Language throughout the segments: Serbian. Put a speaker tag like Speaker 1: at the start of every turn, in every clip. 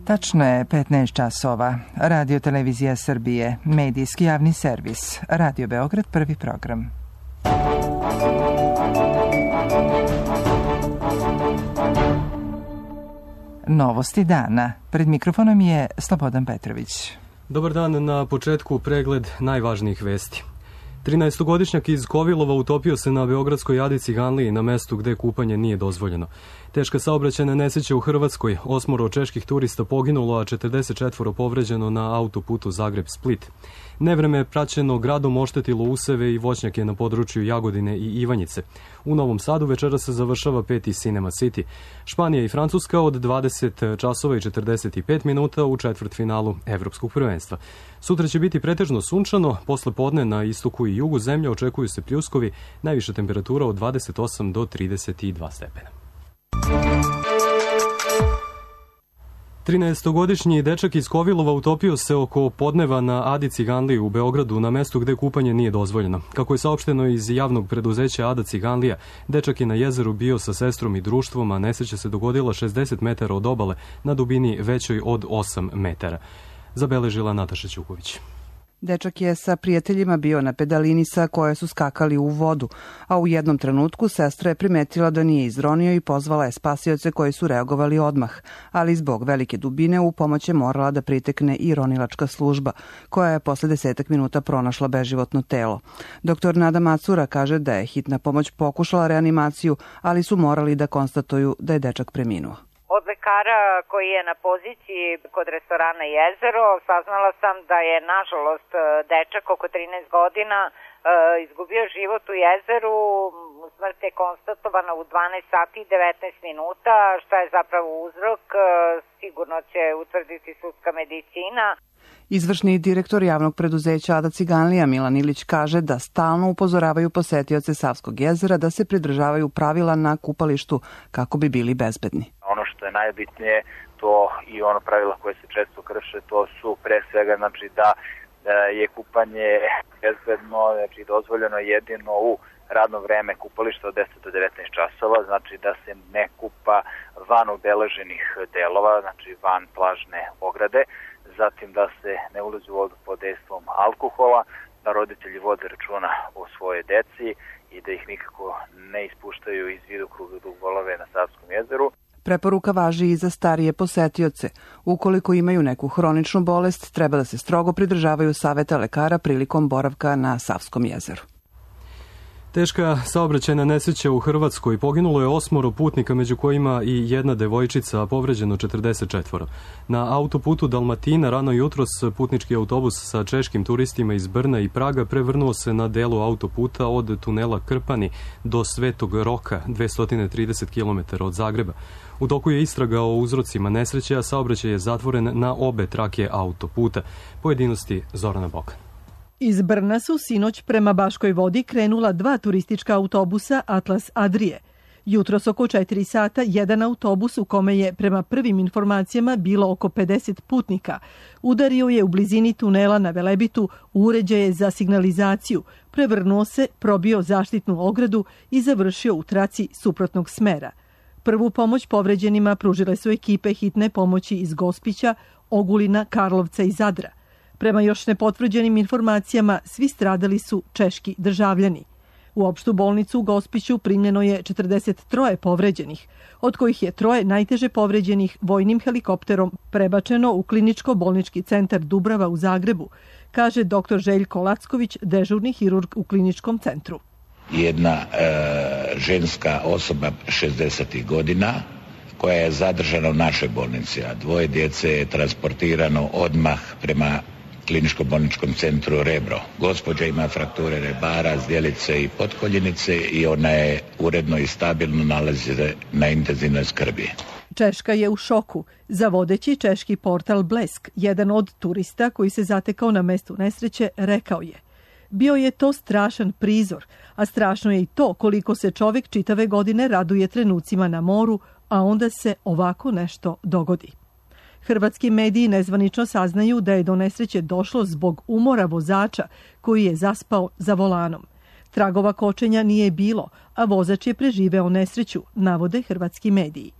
Speaker 1: Tačno je 15 časova. Radio Televizija Srbije, medijski javni servis. Radio Beograd, prvi program. Novosti dana. Pred mikrofonom je Slobodan Petrović.
Speaker 2: Dobar dan, na početku pregled najvažnijih vesti. 13-godišnjak iz Kovilova utopio se na beogradskoj Adi Ciganliji na mestu gde kupanje nije dozvoljeno. Teška saobraćajna nesreća u Hrvatskoj, 8 čeških turista poginulo, a 44 povređeno na autoputu Zagreb-Split. Nevreme praćeno gradom oštetilo useve i voćnjake na području Jagodine i Ivanjice. U Novom Sadu večera se završava 5. Cinema City. Španija i Francuska od 20 časova i 45 minuta u četvrtfinalu Evropskog prvenstva. Sutra će biti pretežno sunčano, posle podne na istoku i jugu zemlje očekuju se pljuskovi, najviša temperatura od 28 do 32 stepena. 13-godišnji dečak iz Kovilova utopio se oko podneva na Adi Ciganliji u Beogradu na mestu gde kupanje nije dozvoljeno. Kako je saopšteno iz javnog preduzeća Ada Ciganlija, dečak je na jezeru bio sa sestrom i društvom, a nesreća se dogodila 60 metara od obale na dubini većoj od 8 metara. Zabeležila Nataša Ćuković.
Speaker 3: Dečak je sa prijateljima bio na pedalini sa koje su skakali u vodu, a u jednom trenutku sestra je primetila da nije izronio i pozvala je spasioce koji su reagovali odmah, ali zbog velike dubine u pomoć je morala da pritekne i ronilačka služba, koja je posle 10 minuta pronašla beživotno telo. Doktor Nada Macura kaže da je hitna pomoć pokušala reanimaciju, ali su morali da konstatuju da je dečak preminuo.
Speaker 4: Od lekara koji je na poziciji kod restorana Jezero saznala sam da je, nažalost, dečak oko 13 godina izgubio život u jezeru. Smrt je konstatovana u 12 sati i 19 minuta. Šta je zapravo uzrok, sigurno će utvrditi sudska medicina.
Speaker 3: Izvršni direktor javnog preduzeća Ada Ciganlija Milan Ilić kaže da stalno upozoravaju posetioce Savskog jezera da se pridržavaju pravila na kupalištu kako bi bili bezbedni.
Speaker 5: Ono što je najbitnije, to i ono pravila koje se često krše, to su pre svega da je kupanje bezbedno, dozvoljeno jedino u radno vreme kupališta od 10 do 19 časova, znači da se ne kupa van obeleženih delova, znači van plažne ograde, zatim da se ne ulazi u vodu pod dejstvom alkohola, da roditelji vode računa o svoje deci i da ih nikako ne ispuštaju iz vidokruga dok bolove na Savskom jezeru.
Speaker 3: Preporuka važi i za starije posetioce. Ukoliko imaju neku hroničnu bolest, treba da se strogo pridržavaju saveta lekara prilikom boravka na Savskom jezeru.
Speaker 2: Teška saobraćajna nesreća u Hrvatskoj, poginulo je 8 putnika, među kojima i jedna devojčica, a povređeno 44. Na autoputu Dalmatina rano jutros putnički autobus sa češkim turistima iz Brna i Praga prevrnuo se na delu autoputa od tunela Krpani do Svetog Roka, 230 km od Zagreba. U toku je istraga o uzrocima nesreće, a saobraćaj je zatvoren na obe trake autoputa. Pojedinosti Zorana Bokan.
Speaker 6: Iz Brna su sinoć prema Baškoj Vodi krenula 2 turistička autobusa Atlas Adrije. Jutros oko 4 sata jedan autobus u kome je prema prvim informacijama bilo oko 50 putnika udario je u blizini tunela na Velebitu uređaje za signalizaciju, prevrnuo se, probio zaštitnu ogradu i završio u traci suprotnog smera. Prvu pomoć povređenima pružile su ekipe hitne pomoći iz Gospića, Ogulina, Karlovca i Zadra. Prema još nepotvrđenim informacijama, svi stradali su češki državljani. U opštu bolnicu u Gospiću primljeno je 43 povređenih, od kojih je 3 najteže povređenih vojnim helikopterom prebačeno u kliničko-bolnički centar Dubrava u Zagrebu, kaže dr. Željko Lacković, dežurni hirurg u kliničkom centru.
Speaker 7: Jedna ženska osoba 60 godina koja je zadržana u našoj bolnici, a 2 djece je transportirano odmah prema kliničko-bolničkom centru Rebro. Gospođa ima frakture rebara, zdjelice i potkoljenice i ona je uredno i stabilno nalazi na intenzivnoj skrbi.
Speaker 6: Češka je u šoku. Za vodeći češki portal Blesk, jedan od turista koji se zatekao na mestu nesreće, rekao je: bio je to strašan prizor, a strašno je i to koliko se čovjek čitave godine raduje trenucima na moru, a onda se ovako nešto dogodi. Hrvatski mediji nezvanično saznaju da je do nesreće došlo zbog umora vozača koji je zaspao za volanom. Tragova kočenja nije bilo, a vozač je preživeo nesreću, navode hrvatski mediji.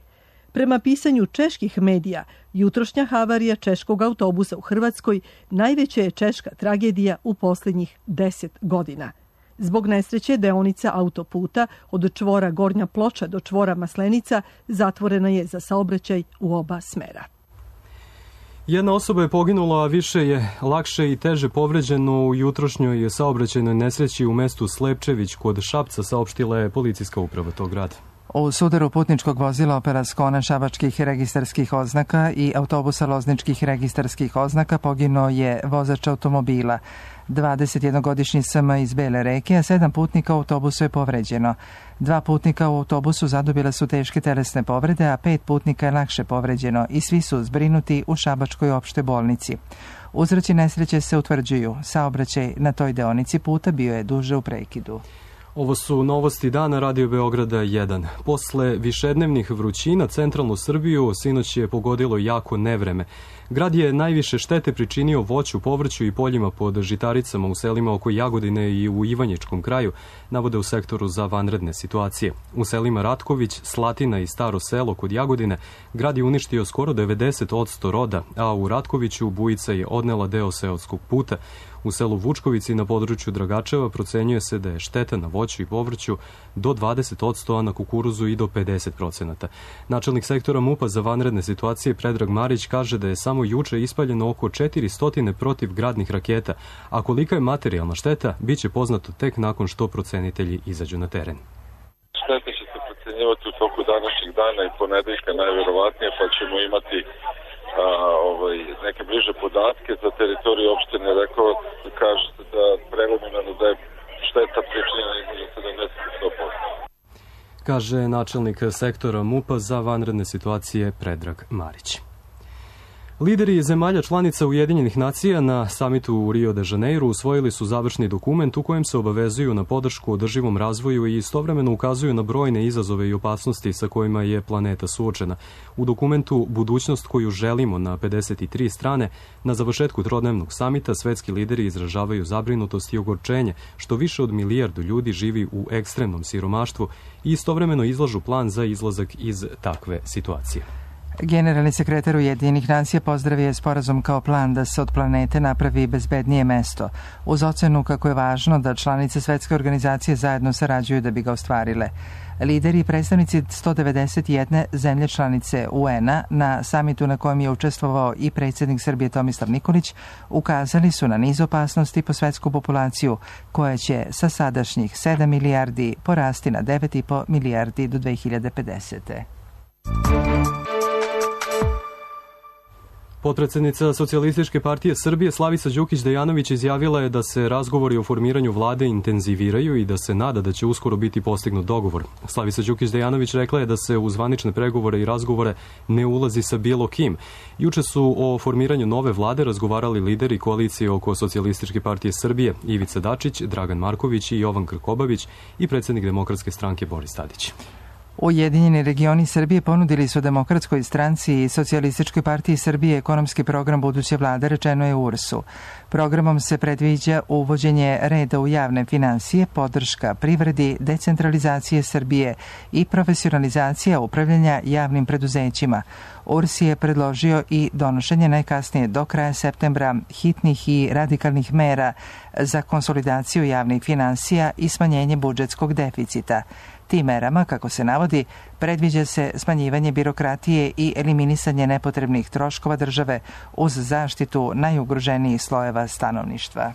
Speaker 6: Prema pisanju čeških medija, jutrošnja havarija češkog autobusa u Hrvatskoj najveća je češka tragedija u posljednjih 10 godina. Zbog nesreće deonica autoputa od čvora Gornja Ploča do čvora Maslenica zatvorena je za saobraćaj u oba smera.
Speaker 2: Jedna osoba je poginula, a više je lakše i teže povređeno u jutrošnjoj saobraćajnoj nesreći u mestu Slepčević kod Šapca, saopštila je policijska uprava tog grada.
Speaker 1: U sudaru putničkog vozila Opera Skona šabačkih registarskih oznaka i autobusa lozničkih registarskih oznaka poginuo je vozač automobila. 21-godišnji SM iz Bele Reke, a 7 putnika u autobusu je povređeno. 2 putnika u autobusu zadobile su teške telesne povrede, a 5 putnika je lakše povređeno i svi su zbrinuti u Šabačkoj opštoj bolnici. Uzroci nesreće se utvrđuju. Saobraćaj na toj deonici puta bio je duže u prekidu.
Speaker 2: Ovo su novosti dana Radio Beograda 1. Posle višednevnih vrućina centralnu Srbiju sinoć je pogodilo jako nevreme. Grad je najviše štete pričinio voću, povrću i poljima pod žitaricama u selima oko Jagodine i u Ivanjičkom kraju, navode u sektoru za vanredne situacije. U selima Ratković, Slatina i Staro selo kod Jagodine grad je uništio skoro 90% roda, a u Ratkoviću bujica je odnela deo seoskog puta. U selu Vučkovici na području Dragačeva procenjuje se da je šteta na voću i povrću do 20%, a na kukuruzu i do 50%. Načelnik sektora MUP-a za vanredne situacije Predrag Marić kaže da je samo juče ispaljeno oko 400 protivgradnih raketa, a kolika je materijalna šteta bit će poznato tek nakon što procenitelji izađu na teren.
Speaker 8: Šteta će se procenjivati u toku današnjeg dana i ponedeljka najverovatnije, pa ćemo imati neke bliže podatke za teritoriju opštine. Rekao kažete da prelomljeno da je šteta pričinjena između 70 i 100%.
Speaker 2: Kaže načelnik sektora MUP-a za vanredne situacije Predrag Marić. Lideri zemalja članica Ujedinjenih nacija na samitu u Rio de Janeiro usvojili su završni dokument u kojem se obavezuju na podršku održivom razvoju i istovremeno ukazuju na brojne izazove i opasnosti sa kojima je planeta suočena. U dokumentu Budućnost koju želimo na 53 strane, na završetku trodnevnog samita svetski lideri izražavaju zabrinutost i ogorčenje što više od 1 milijardu ljudi živi u ekstremnom siromaštvu i istovremeno izlažu plan za izlazak iz takve situacije.
Speaker 1: Generalni sekretar Ujedinjenih nacija pozdravio je sporazum kao plan da se od planete napravi bezbednije mesto, uz ocenu kako je važno da članice svetske organizacije zajedno sarađuju da bi ga ostvarile. Lideri i predstavnici 191 zemlje članice UN-a na samitu na kojem je učestvovao i predsjednik Srbije Tomislav Nikolić ukazali su na niz opasnosti po svetsku populaciju koja će sa sadašnjih 7 milijardi porasti na 9,5 milijardi do 2050.
Speaker 2: Potpredsednica Socijalističke partije Srbije Slavica Đukić Dejanović izjavila je da se razgovori o formiranju vlade intenziviraju i da se nada da će uskoro biti postignut dogovor. Slavica Đukić Dejanović rekla je da se u zvanične pregovore i razgovore ne ulazi sa bilo kim. Juče su o formiranju nove vlade razgovarali lideri koalicije oko Socijalističke partije Srbije Ivica Dačić, Dragan Marković i Jovan Krkobabić i predsjednik Demokratske stranke Boris Tadić.
Speaker 1: Ujedinjeni regioni Srbije ponudili su Demokratskoj stranci i Socijalističkoj partiji Srbije ekonomski program buduće vlade, rečeno je u URS-u. Programom se predviđa uvođenje reda u javne finansije, podrška privredi, decentralizacije Srbije i profesionalizacija upravljanja javnim preduzećima. URS je predložio i donošenje najkasnije do kraja septembra hitnih i radikalnih mera za konsolidaciju javnih finansija i smanjenje budžetskog deficita. Tim merama, kako se navodi, predviđa se smanjivanje birokratije i eliminisanje nepotrebnih troškova države uz zaštitu najugroženijih slojeva stanovništva.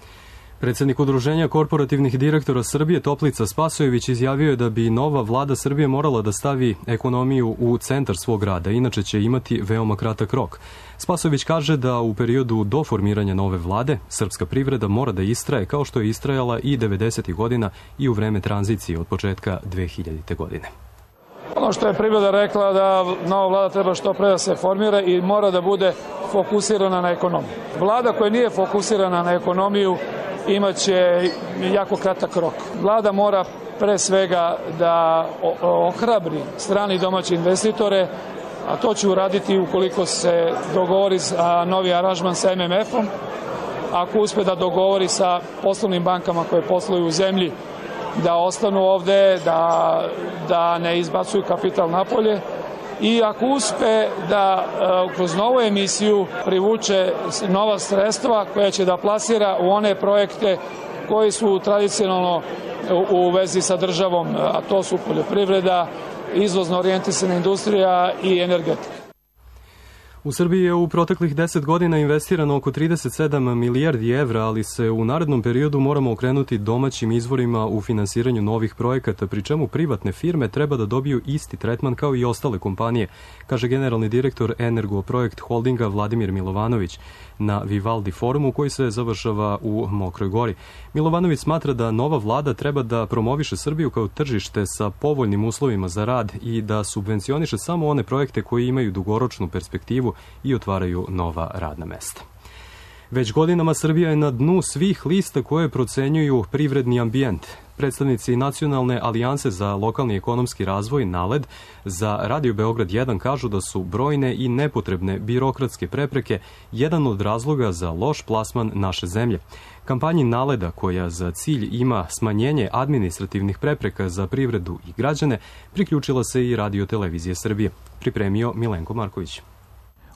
Speaker 2: Predsjednik Udruženja korporativnih direktora Srbije Toplica Spasojević izjavio je da bi nova vlada Srbije morala da stavi ekonomiju u centar svog rada, inače će imati veoma kratak rok. Spasojević kaže da u periodu do formiranja nove vlade srpska privreda mora da istraje kao što je istrajala i 90. godina i u vreme tranzicije od početka 2000. godine.
Speaker 9: Ono što je privreda rekla da nova vlada treba što pre da se formira i mora da bude fokusirana na ekonomiju. Vlada koja nije fokusirana na ekonomiju imaće jako kratak rok. Vlada mora pre svega da ohrabri strani i domaće investitore, a to će uraditi ukoliko se dogovori za novi aranžman sa MMF-om, ako uspe da dogovori sa poslovnim bankama koje posluju u zemlji da ostanu ovde, da ne izbacuju kapital napolje i ako uspe da kroz novu emisiju privuče nova sredstva koja će da plasira u one projekte koji su tradicionalno u vezi sa državom, a to su poljoprivreda, izvozno orijentisana industrija i energetika.
Speaker 2: U Srbiji je u proteklih 10 godina investirano oko 37 milijardi evra, ali se u narednom periodu moramo okrenuti domaćim izvorima u finansiranju novih projekata, pri čemu privatne firme treba da dobiju isti tretman kao i ostale kompanije, kaže generalni direktor Energoprojekt Holdinga Vladimir Milovanović na Vivaldi forumu koji se završava u Mokroj Gori. Milovanović smatra da nova vlada treba da promoviše Srbiju kao tržište sa povoljnim uslovima za rad i da subvencioniše samo one projekte koji imaju dugoročnu perspektivu i otvaraju nova radna mesta. Već godinama Srbija je na dnu svih lista koje procenjuju privredni ambijent. Predstavnici Nacionalne alijanse za lokalni ekonomski razvoj NALED za Radio Beograd 1 kažu da su brojne i nepotrebne birokratske prepreke jedan od razloga za loš plasman naše zemlje. Kampanji NALED-a, koja za cilj ima smanjenje administrativnih prepreka za privredu i građane, priključila se i Radio Televizije Srbije. Pripremio Milenko Marković.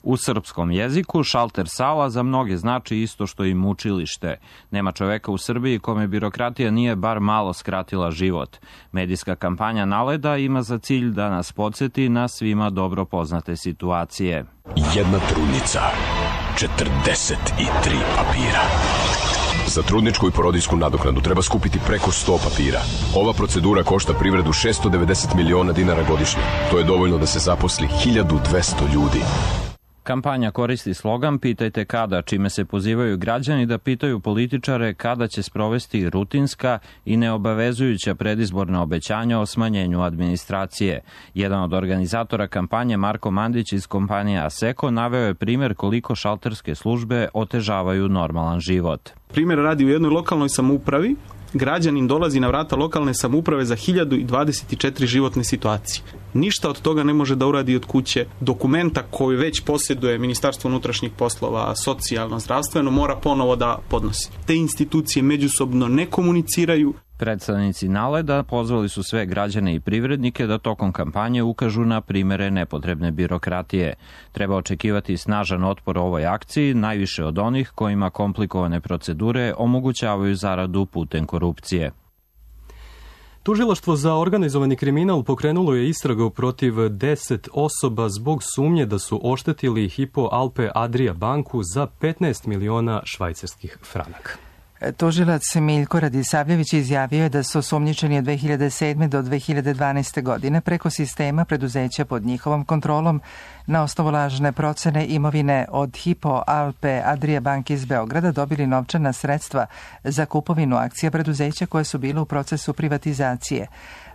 Speaker 10: U srpskom jeziku šalter sala za mnoge znači isto što i mučilište. Nema čoveka u Srbiji kome birokratija nije bar malo skratila život. Medijska kampanja NALED-a ima za cilj da nas podsjeti na svima dobro poznate situacije.
Speaker 11: Jedna trudnica, 43 papira. Za trudničku i porodiljsku nadoknadu treba skupiti preko 100 papira. Ova procedura košta privredu 690 miliona dinara godišnje. To je dovoljno da se zaposli 1200 ljudi.
Speaker 10: Kampanja koristi slogan "Pitajte kada", čime se pozivaju građani da pitaju političare kada će sprovesti rutinska i neobavezujuća predizborna obećanja o smanjenju administracije. Jedan od organizatora kampanje, Marko Mandić iz kompanije Aseko, naveo je primer koliko šalterske službe otežavaju normalan život.
Speaker 12: Primer radi u jednoj lokalnoj samoupravi. Građanin dolazi na vrata lokalne samouprave za 1024 životne situacije. Ništa od toga ne može da uradi od kuće. Dokumenta koju već posjeduje Ministarstvo unutrašnjih poslova, socijalno, zdravstveno, mora ponovo da podnosi. Te institucije međusobno ne komuniciraju.
Speaker 10: Predstavnici NALED-a pozvali su sve građane i privrednike da tokom kampanje ukažu na primere nepotrebne birokratije. Treba očekivati snažan otpor ovoj akciji, najviše od onih kojima komplikovane procedure omogućavaju zaradu putem korupcije.
Speaker 2: Tužilaštvo za organizovani kriminal pokrenulo je istragu protiv 10 osoba zbog sumnje da su oštetili Hypo Alpe Adria banku za 15 miliona švajcarskih franaka.
Speaker 1: Tužilac Miljko Radisavljević izjavio je da su osumnjičeni od 2007. do 2012. godine preko sistema preduzeća pod njihovom kontrolom na osnovu lažne procene imovine od Hypo Alpe Adria banke iz Beograda dobili novčana sredstva za kupovinu akcija preduzeća koje su bile u procesu privatizacije.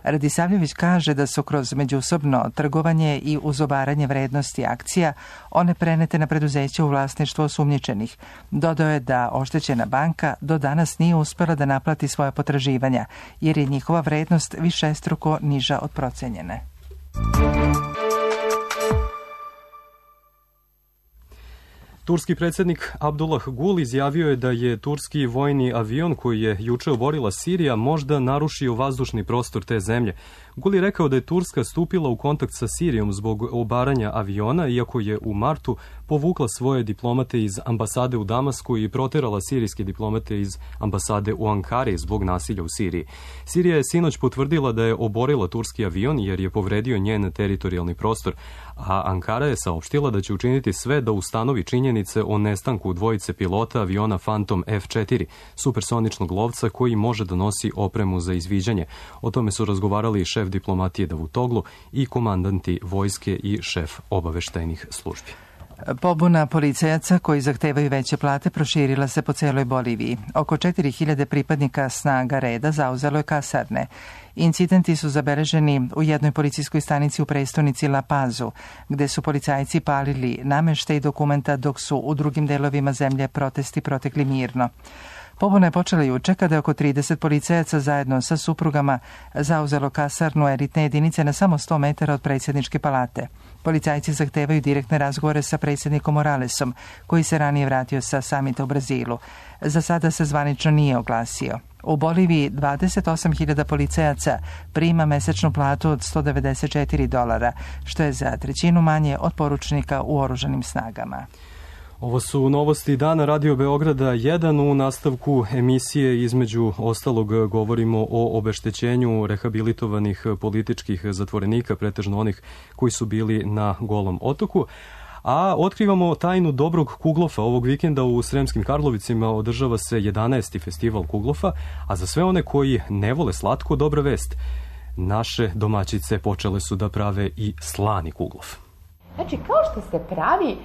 Speaker 1: Radisavljević kaže da su kroz međusobno trgovanje i uzobaranje vrednosti akcija one prenete na preduzeće u vlasništvo osumnjičenih. Dodao je da oštećena banka do danas nije uspela da naplati svoja potraživanja, jer je njihova vrednost višestruko niža od procenjene.
Speaker 2: Turski predsjednik Abdullah Gul izjavio je da je turski vojni avion koji je juče oborila Sirija možda narušio vazdušni prostor te zemlje. Gul je rekao da je Turska stupila u kontakt sa Sirijom zbog obaranja aviona, iako je u martu povukla svoje diplomate iz ambasade u Damasku i proterala sirijske diplomate iz ambasade u Ankari zbog nasilja u Siriji. Sirija je sinoć potvrdila da je oborila turski avion jer je povredio njen teritorijalni prostor, a Ankara je saopštila da će učiniti sve da ustanovi činjenice o nestanku dvojice pilota aviona Phantom F4, supersoničnog lovca koji može da nosi opremu za izviđanje. O tome su razgovarali šef diplomatije Davutoglu i komandanti vojske i šef obaveštajnih službi.
Speaker 1: Pobuna policajaca koji zahtevaju veće plate proširila se po celoj Boliviji. Oko 4000 pripadnika snaga reda zauzelo je kasarne. Incidenti su zabeleženi u jednoj policijskoj stanici u prestonici La Pazu, gde su policajci palili nameštaj i dokumenta dok su u drugim delovima zemlje protesti protekli mirno. Pobuna je počela juče kada je oko 30 policajaca zajedno sa suprugama zauzelo kasarnu elitne jedinice na samo 100 metara od predsjedničke palate. Policajci zahtevaju direktne razgovore sa predsjednikom Moralesom, koji se ranije vratio sa samita u Brazilu. Za sada se zvanično nije oglasio. U Boliviji 28.000 policajaca prima mesečnu platu od $194, što je za trećinu manje od poručnika u oružanim snagama.
Speaker 2: Ovo su novosti dana Radio Beograda 1. U nastavku emisije između ostalog govorimo o obeštećenju rehabilitovanih političkih zatvorenika, pretežno onih koji su bili na Golom otoku. A otkrivamo tajnu dobrog kuglofa. Ovog vikenda u Sremskim Karlovicima održava se 11. festival kuglofa, a za sve one koji ne vole slatko, dobra vest. Naše domaćice počele su da prave i slani kuglof.
Speaker 13: Znači, kao što se pravi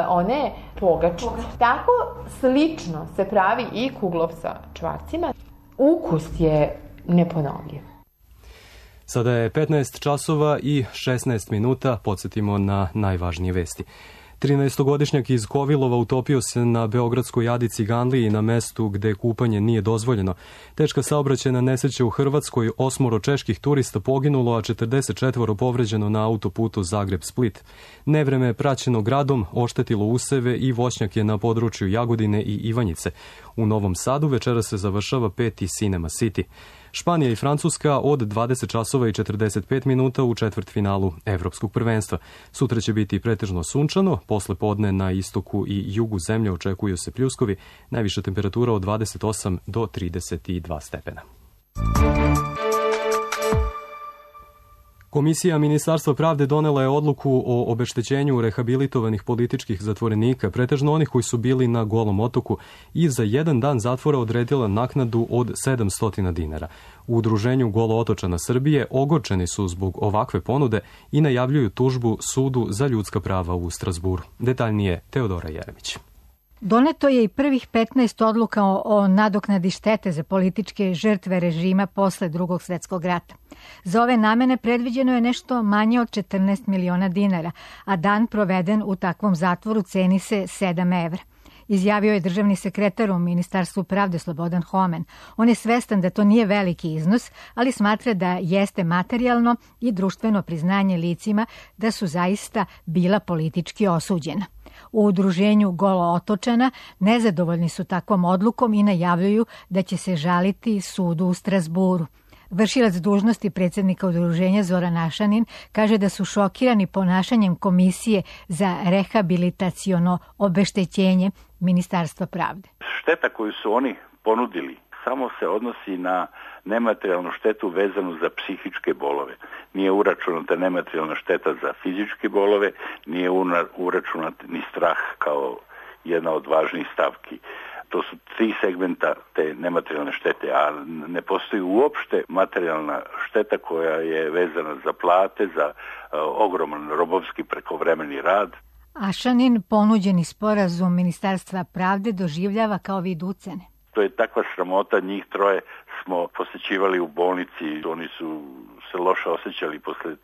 Speaker 13: one pogače, tako slično se pravi i kuglof sa čvarcima. Ukus je neponovljiv.
Speaker 2: Sada je 15 časova i 16 minuta, podsjetimo na najvažnije vesti. 13-godišnjak iz Kovilova utopio se na beogradskoj Jadici Ganliji na mestu gde kupanje nije dozvoljeno. Teška saobraćajna nesreća u Hrvatskoj, 8 čeških turista poginulo, a 44 povređeno na autoputu Zagreb-Split. Nevreme praćeno gradom oštetilo useve i voćnjake na području Jagodine i Ivanjice. U Novom Sadu večera se završava 5. Cinema City. Španija i Francuska od 20 časova i 45 minuta u četvrtfinalu Evropskog prvenstva. Sutra će biti pretežno sunčano, posle podne na istoku i jugu zemlje očekuju se pljuskovi, najviša temperatura od 28 do 32 stepena. Komisija Ministarstva pravde donela je odluku o obeštećenju rehabilitovanih političkih zatvorenika, pretežno onih koji su bili na Golom otoku, i za 1 dan zatvora odredila naknadu od $700. U udruženju Golo otočana Srbije ogorčeni su zbog ovakve ponude i najavljuju tužbu Sudu za ljudska prava u Strazburu. Detaljnije Teodora Jeremić.
Speaker 14: Doneto je i prvih 15 odluka o nadoknadi štete za političke žrtve režima posle Drugog svjetskog rata. Za ove namene predviđeno je nešto manje od 14 miliona dinara, a dan proveden u takvom zatvoru ceni se 7 evra. Izjavio je državni sekretar u Ministarstvu pravde Slobodan Homen. On je svestan da to nije veliki iznos, ali smatra da jeste materijalno i društveno priznanje licima da su zaista bila politički osuđena. U udruženju Golo otočana nezadovoljni su takvom odlukom i najavljuju da će se žaliti sudu u Strazburu. Vršilac dužnosti predsjednika udruženja Zoran Ašanin kaže da su šokirani ponašanjem Komisije za rehabilitaciono obeštećenje Ministarstva pravde.
Speaker 15: Šteta koju su oni ponudili samo se odnosi na nematerijalnu štetu vezanu za psihičke bolove. Nije uračunata nematerijalna šteta za fizičke bolove, nije uračunat ni strah kao jedna od važnijih stavki. To su 3 segmenta te nematerijalne štete, a ne postoji uopšte materijalna šteta koja je vezana za plate, za ogroman robovski prekovremeni rad.
Speaker 14: Ašanin ponuđeni sporazum Ministarstva pravde doživljava kao vid ucene.
Speaker 15: To je takva sramota, njih 3 smo posećivali u bolnici, oni su se loše osjećali posle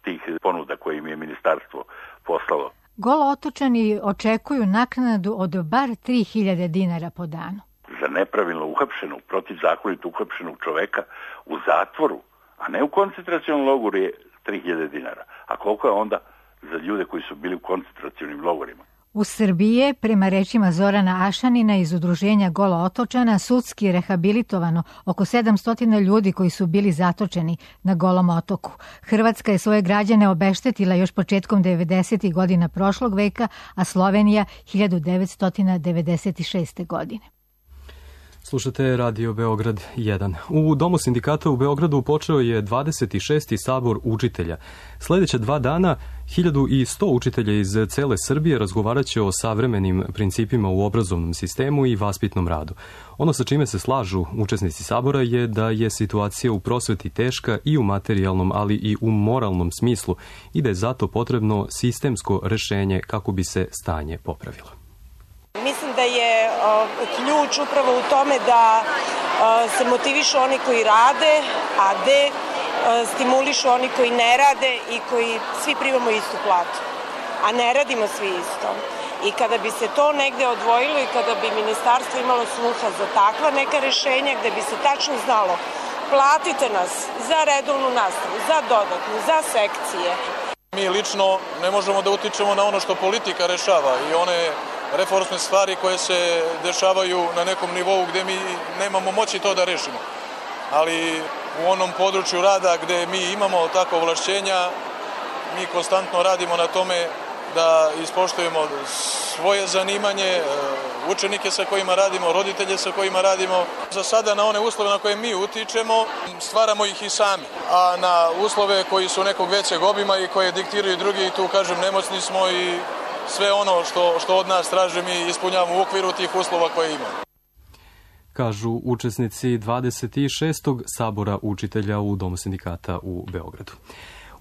Speaker 15: tih ponuda koje im je ministarstvo poslalo.
Speaker 14: Golo otočani očekuju naknadu od bar 3.000 dinara po danu.
Speaker 15: Za nepravilno uhapšenog, protivzakonito uhapšenog čoveka u zatvoru, a ne u koncentracionom logoru, je 3.000 dinara. A koliko je onda za ljude koji su bili u koncentracionim logorima?
Speaker 14: U Srbiji je, prema rečima Zorana Ašanina iz udruženja Golo otočana, sudski rehabilitovano oko 700 ljudi koji su bili zatočeni na Golom otoku. Hrvatska je svoje građane obeštetila još početkom 90. godina prošlog veka, a Slovenija 1996. godine.
Speaker 2: Slušate Radio Beograd 1. U Domu sindikata u Beogradu počeo je 26. sabor učitelja. Sljedeća 2 dana 1100 učitelja iz cele Srbije razgovarat će o savremenim principima u obrazovnom sistemu i vaspitnom radu. Ono sa čime se slažu učesnici sabora je da je situacija u prosveti teška i u materijalnom, ali i u moralnom smislu i da je zato potrebno sistemsko rešenje kako bi se stanje popravilo.
Speaker 16: Mislim da je ključ upravo u tome da se motivišu oni koji rade, a stimulišu oni koji ne rade i koji svi primamo istu platu, a ne radimo svi isto. I kada bi se to negde odvojilo i kada bi ministarstvo imalo sluha za takva neka rešenja gde bi se tačno znalo platite nas za redovnu nastavu, za dodatnu, za sekcije.
Speaker 17: Mi lično ne možemo da utičemo na ono što politika rešava i one reformske stvari koje se dešavaju na nekom nivou gde mi nemamo moći to da rešimo. Ali u onom području rada gde mi imamo takva ovlašćenja, mi konstantno radimo na tome da ispoštujemo svoje zanimanje, učenike sa kojima radimo, roditelje sa kojima radimo. Za sada na one uslove na koje mi utičemo, stvaramo ih i sami. A na uslove koji su nekog većeg obima i koje diktiraju drugi, tu kažem, nemoćni smo i sve ono što od nas traže mi ispunjavamo u okviru tih uslova koje imamo.
Speaker 2: Kažu učesnici 26. sabora učitelja u Domu sindikata u Beogradu.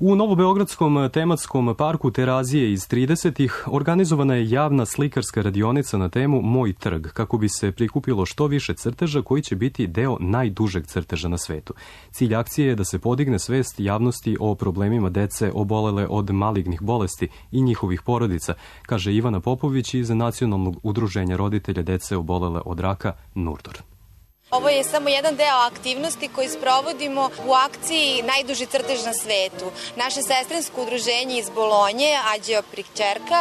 Speaker 2: U Novobeogradskom tematskom parku Terazije iz 30-ih organizovana je javna slikarska radionica na temu Moj trg, kako bi se prikupilo što više crteža koji će biti deo najdužeg crteža na svetu. Cilj akcije je da se podigne svest javnosti o problemima dece obolele od malignih bolesti i njihovih porodica, kaže Ivana Popović iz Nacionalnog udruženja roditelja dece obolele od raka NURDOR.
Speaker 18: Ovo je samo jedan deo aktivnosti koji sprovodimo u akciji Najduži crtež na svetu. Naše sestrinsko udruženje iz Bolonje, Ađeo Prikćerka,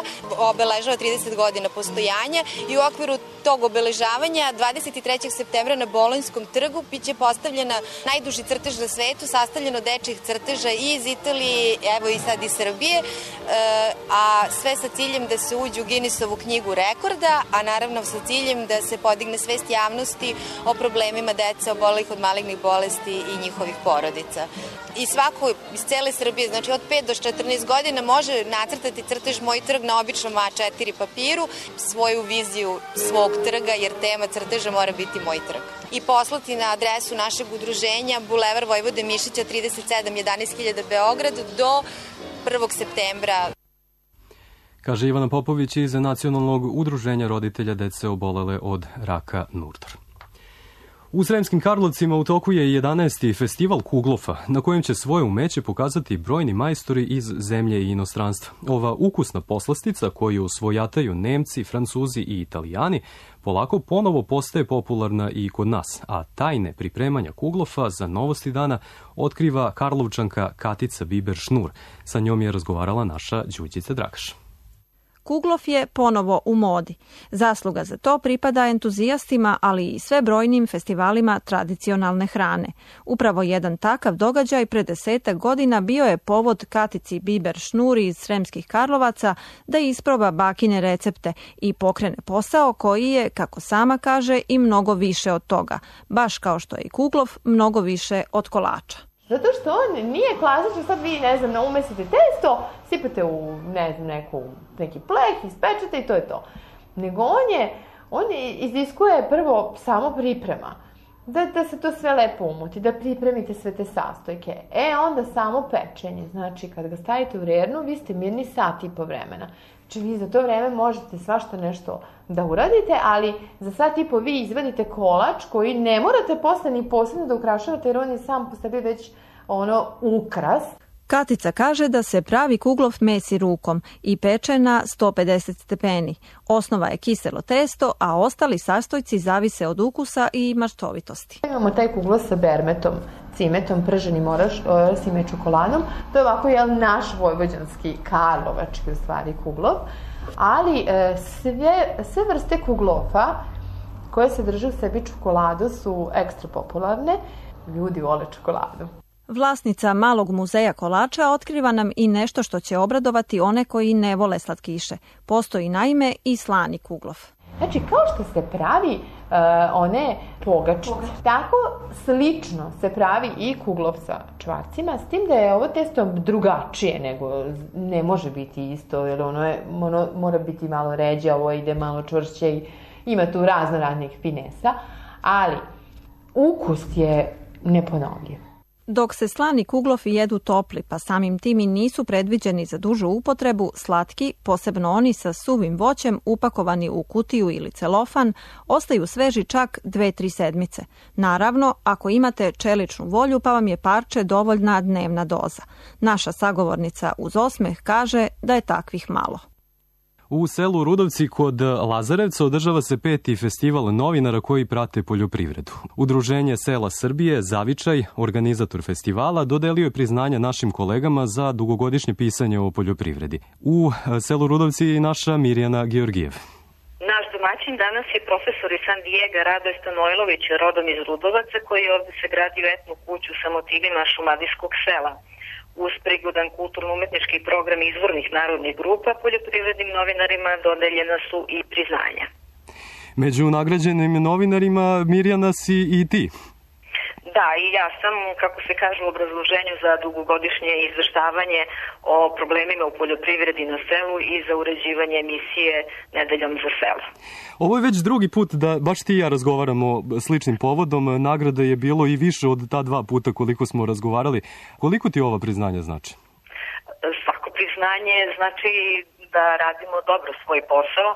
Speaker 18: obeležava 30 godina postojanja i u okviru tog obeležavanja 23. septembra na Bolonjskom trgu biće postavljena najduži crtež na svetu, sastavljeno dečjih crteža i iz Italije, evo i sad iz Srbije, a sve sa ciljem da se uđe u Guinnessovu knjigu rekorda, a naravno sa ciljem da se podigne svest javnosti o problemima dece obolelih od malignih bolesti i njihovih porodica. I svako iz cele Srbije, znači od 5 do 14 godina, može nacrtati crtež Moj trg na običnom A4 papiru, svoju viziju svog trga, jer tema crteža mora biti Moj trg. I poslati na adresu našeg udruženja Bulevar Vojvode Mišića 37 11.000 Beograd do 1. septembra.
Speaker 2: Kaže Ivana Popović iz Nacionalnog udruženja roditelja dece obolele od raka NURDOR. U Sremskim Karlovcima u toku je 11. festival Kuglofa, na kojem će svoje umeće pokazati brojni majstori iz zemlje i inostranstva. Ova ukusna poslastica koju svojataju Nemci, Francuzi i Italijani polako ponovo postaje popularna i kod nas, a tajne pripremanja Kuglofa za Novosti dana otkriva Karlovčanka Katica Biber-Šnur. Sa njom je razgovarala naša Đurđica Dragaš.
Speaker 19: Kuglof je ponovo u modi. Zasluga za to pripada entuzijastima, ali i sve brojnim festivalima tradicionalne hrane. Upravo jedan takav događaj pred 10 godina bio je povod Katici Biber-Šnur iz Sremskih Karlovaca da isproba bakine recepte i pokrene posao koji je, kako sama kaže, i mnogo više od toga. Baš kao što je i Kuglof, mnogo više od kolača.
Speaker 13: Zato što on nije klasično, sad vi, ne znam, umesite testo, sipate u, ne znam, neki pleh, ispečete i to je to. Nego on iziskuje prvo samo priprema, da se to sve lepo umuti, da pripremite sve te sastojke. Onda samo pečenje, znači kad ga stavite u rernu, vi ste mirni sat i po vremena. Znači vi za to vreme možete svašta nešto da uradite, ali za sat i po vi izvadite kolač koji ne morate posle ni posebno da ukrašavate, jer on je sam po sebi već ukras.
Speaker 19: Katica kaže da se pravi Kuglov mesi rukom i peče na 150 stepeni. Osnova je kiselo testo, a ostali sastojci zavise od ukusa i maštovitosti.
Speaker 13: Imamo taj Kuglov sa bermetom, cimetom, prženim orasim i čokoladom. To je ovako naš vojvođanski, karlovački u stvari Kuglov. Ali sve vrste Kuglofa koje se drže u sebi čokoladu su ekstra popularne. Ljudi vole čokoladu.
Speaker 19: Vlasnica malog muzeja kolača otkriva nam i nešto što će obradovati one koji ne vole slatkiše. Postoji naime i slani Kuglov.
Speaker 13: Znači, kao što se pravi one pogačice, tako slično se pravi i Kuglov sa čvarcima, s tim da je ovo testo drugačije nego ne može biti isto, jer ono mora biti malo ređe, ovo ide malo čvršće i ima tu raznih finesa, ali ukus je neponovljiv.
Speaker 19: Dok se slani Kuglofi jedu topli, pa samim tim i nisu predviđeni za dužu upotrebu, slatki, posebno oni sa suvim voćem upakovani u kutiju ili celofan, ostaju sveži čak 2-3 sedmice. Naravno, ako imate čeličnu volju, pa vam je parče dovoljna dnevna doza. Naša sagovornica uz osmeh kaže da je takvih malo.
Speaker 2: U selu Rudovci kod Lazarevca održava se 5. festival novinara koji prate poljoprivredu. Udruženje sela Srbije, Zavičaj, organizator festivala, dodelio je priznanja našim kolegama za dugogodišnje pisanje o poljoprivredi. U selu Rudovci je naša Mirjana Georgijev.
Speaker 20: gošćin danas je profesor iz San Diego Radoje Stanojlović, rodom iz Rudovaca, koji je ovde se gradio etnu kuću sa motivima šumadijskog sela. Uz prigodan kulturno-umetnički program izvornih narodnih grupa, poljoprivrednim novinarima dodeljena su i priznanja.
Speaker 2: Među nagrađenim novinarima Mirjana si i ti.
Speaker 20: Da, i ja sam, kako se kaže u obrazloženju za dugogodišnje izveštavanje o problemima u poljoprivredi na selu i za uređivanje emisije Nedeljom za selo.
Speaker 2: Ovo je već drugi put da baš ti i ja razgovaramo sličnim povodom. Nagrada je bilo i više od ta 2 puta koliko smo razgovarali. Koliko ti ova priznanja znači?
Speaker 20: Svako priznanje znači da radimo dobro svoj posao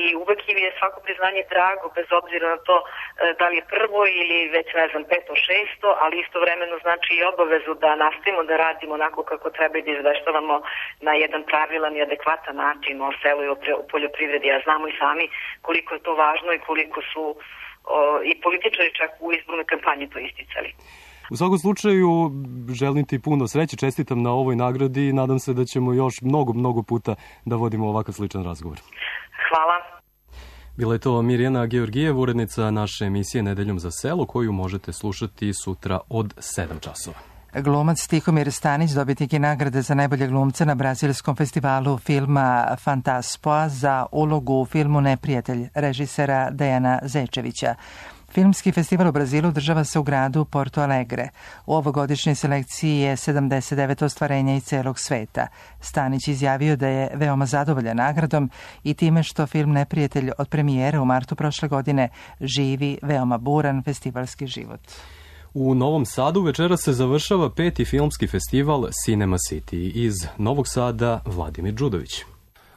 Speaker 20: i uvek im je svako priznanje drago, bez obzira na to da li je prvo ili već, ne znam, 500, 600, ali istovremeno znači i obavezu da nastavimo da radimo onako kako treba i da izveštavamo na jedan pravilan i adekvatan način o selu i o poljoprivredi. A znamo i sami koliko je to važno i koliko su i političari čak u izbornoj kampanji to isticali.
Speaker 2: U svakom slučaju, želim ti puno sreće, čestitam na ovoj nagradi i nadam se da ćemo još mnogo puta da vodimo ovakav sličan razgovor.
Speaker 20: Hvala.
Speaker 2: Bila je to Mirjana Georgijev, urednica naše emisije Nedeljom za selo, koju možete slušati sutra od 7 časova.
Speaker 1: Glumac Tihomir Stanić dobitnik je nagrade za najbolje glumca na brazilskom festivalu filma Fantaspoa za ulogu u filmu Neprijatelj režisera Dejana Zečevića. Filmski festival u Brazilu održava se u gradu Porto Alegre. U ovogodišnjoj selekciji je 79 ostvarenja iz celog sveta. Stanić izjavio da je veoma zadovoljan nagradom i time što film Neprijatelj od premijere u martu prošle godine živi veoma buran festivalski život.
Speaker 2: U Novom Sadu večera se završava 5. filmski festival Cinema City. Iz Novog Sada Vladimir Đudović.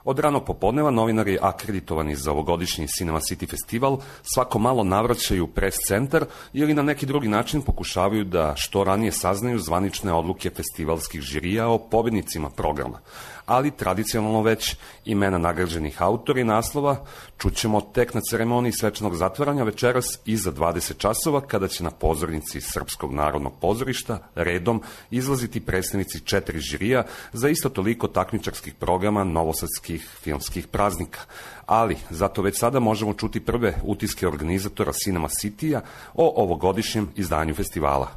Speaker 21: Od ranog popodneva novinari akreditovani za ovogodišnji Cinema City festival svako malo navraćaju pres centar ili na neki drugi način pokušavaju da što ranije saznaju zvanične odluke festivalskih žirija o pobednicima programa. Ali tradicionalno već imena nagrađenih autora i naslova čućemo tek na ceremoniji svečanog zatvaranja večeras iza 20 časova kada će na pozornici Srpskog narodnog pozorišta redom izlaziti predstavnici 4 žirija za isto toliko takmičarskih programa novosadskih filmskih praznika. Ali zato već sada možemo čuti prve utiske organizatora Cinema City-a o ovogodišnjem izdanju festivala.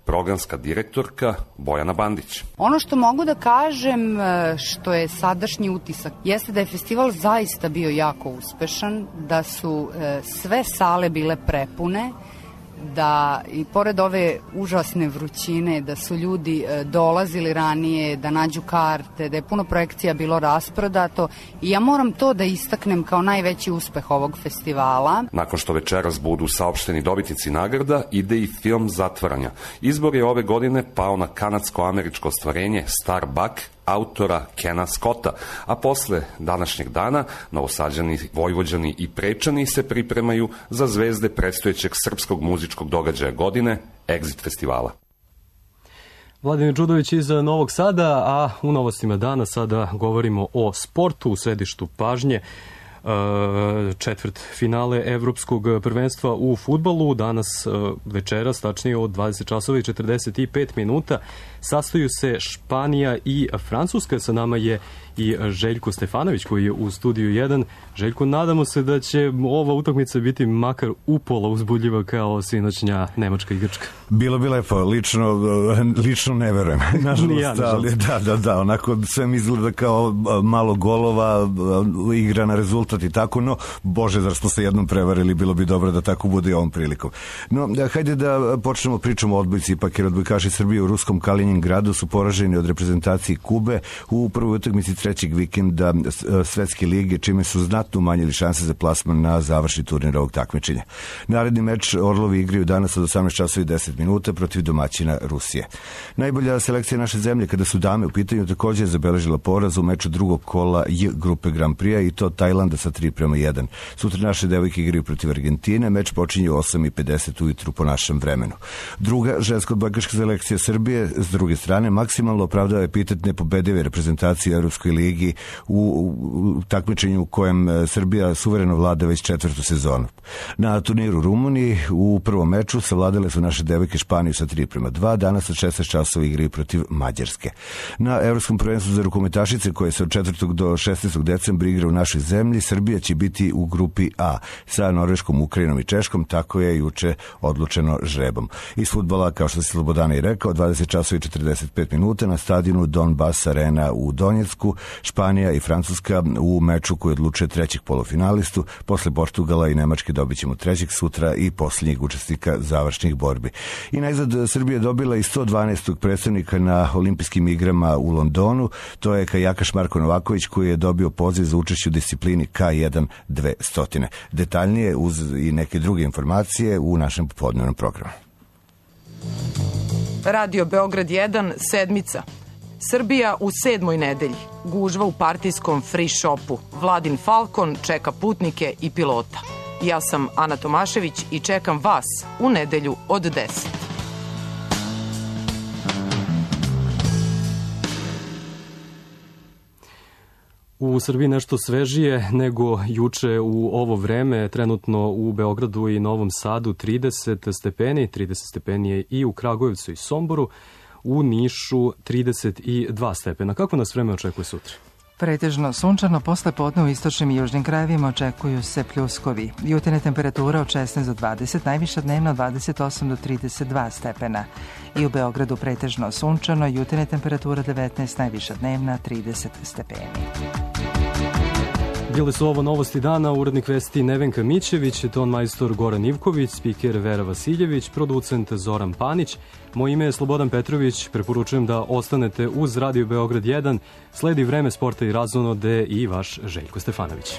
Speaker 21: Programska direktorka Bojana Bandić.
Speaker 22: Ono što mogu da kažem, što je sadašnji utisak, jeste da je festival zaista bio jako uspešan, da su sve sale bile prepune, da i pored ove užasne vrućine, da su ljudi dolazili ranije, da nađu karte, da je puno projekcija bilo rasprodato i ja moram to da istaknem kao najveći uspeh ovog festivala.
Speaker 21: Nakon što večeras budu saopšteni dobitnici nagrada, ide i film Zatvaranja. Izbor je ove godine pao na kanadsko-američko ostvarenje Star Buck autora Kena Scotta, a posle današnjeg dana Novosađani, Vojvođani i Prečani se pripremaju za zvezde predstojećeg srpskog muzičkog događaja godine, Exit festivala.
Speaker 2: Vladimir Đudović iz Novog Sada, a u novostima dana sada govorimo o sportu u središtu pažnje. Četvrt finale Evropskog prvenstva u fudbalu danas večeras, tačnije od 20 časova i 45 minuta, sastaju se Španija i Francuska. Sa nama je i Željko Stefanović koji je u studiju 1. Željko, nadamo se da će ova utakmica biti makar upola uzbudljiva kao sinoćnja Nemačka i Grčka.
Speaker 23: Bilo bi lepo, lično ne verujem. Nažalost, ali da, onako sve mi izgleda kao malo golova, igra na rezultat i tako, no, bože, zar smo se jednom prevarili, bilo bi dobro da tako bude i ovom prilikom. No, hajde da počnemo pričom o odbojci, ipak jer odbojkaši Srbije u ruskom Kaliningradu su poraženi od reprezentacije Kube u prvoj utakmici trećeg vikenda Svetske lige, čime su znatno umanjili šanse za plasman na završni turnir ovog takmičenja. Naredni meč Orlovi igraju danas od 18 časova i 10 minuta protiv domaćina Rusije. Najbolja selekcija naše zemlje kada su dame u pitanju također je zabeležila poraz u meču drugog kola J grupe Grand Prix i to Tajlanda sa 3:1. Sutra naše devojke igraju protiv Argentine, meč počinje u 8:50 ujutru po našem vremenu. Druga ženska odbojkaška selekcija Srbije s druge strane, maksimalno opravdava epitet nepobedive reprezentacije u Evropskoj ligi u takmičenju u kojem Srbija suvereno vlada već 4. sezonu. Na turniru u Rumuniji u prvom meču savladale su naše devojke Španiju sa 3:2, danas od 16 časova igraju protiv Mađarske. Na Evropskom prvenstvu za rukometašice koje se od 4. do 16. decembra igra u našoj zemlji, Srbija će biti u grupi A sa Norveškom, Ukrajinom i Češkom, tako je juče odlučeno žrebom. Iz fudbala, kao što se Slobodana i rekao, 20 časova i 45 minuta na stadionu Donbass Arena u Donjecku, Španija i Francuska u meču koji odlučuje trećeg polufinalistu. Posle Portugala i Nemačke dobit ćemo trećeg sutra i posljednjeg učesnika završnih borbi. I najzad Srbija dobila i 112. predstavnika na olimpijskim igrama u Londonu. To je kajakaš Marko Novaković koji je dobio poziv za učešće u disciplini K1 200. Detaljnije uz i neke druge informacije u našem popodnevnom programu.
Speaker 3: Radio Beograd 1, sedmica. Srbija u 7. nedelji. Gužva u partijskom free shopu. Vladin Falcon čeka putnike i pilota. Ja sam Ana Tomašević i čekam vas u nedelju od 10.
Speaker 2: U Srbiji nešto svežije nego juče u ovo vreme, trenutno u Beogradu i Novom Sadu 30 stepeni, 30 stepeni je i u Kragujevcu i Somboru, u Nišu 32 stepena. Kako nas vreme očekuje sutra?
Speaker 1: Pretežno sunčano, posle podne u istočnim i južnim krajevima očekuju se pljuskovi. Jutarnje temperatura od 16 do 20, najviša dnevna od 28 do 32 stepena. I u Beogradu pretežno sunčano, jutarnje temperatura 19, najviša dnevna 30 stepeni.
Speaker 2: Bile su ovo novosti dana, urednik vesti Nevenka Mićević, ton majstor Goran Ivković, spiker Vera Vasiljević, producent Zoran Panić. Moje ime je Slobodan Petrović, preporučujem da ostanete uz Radio Beograd 1, sledi vreme sporta i razonode i vaš Željko Stefanović.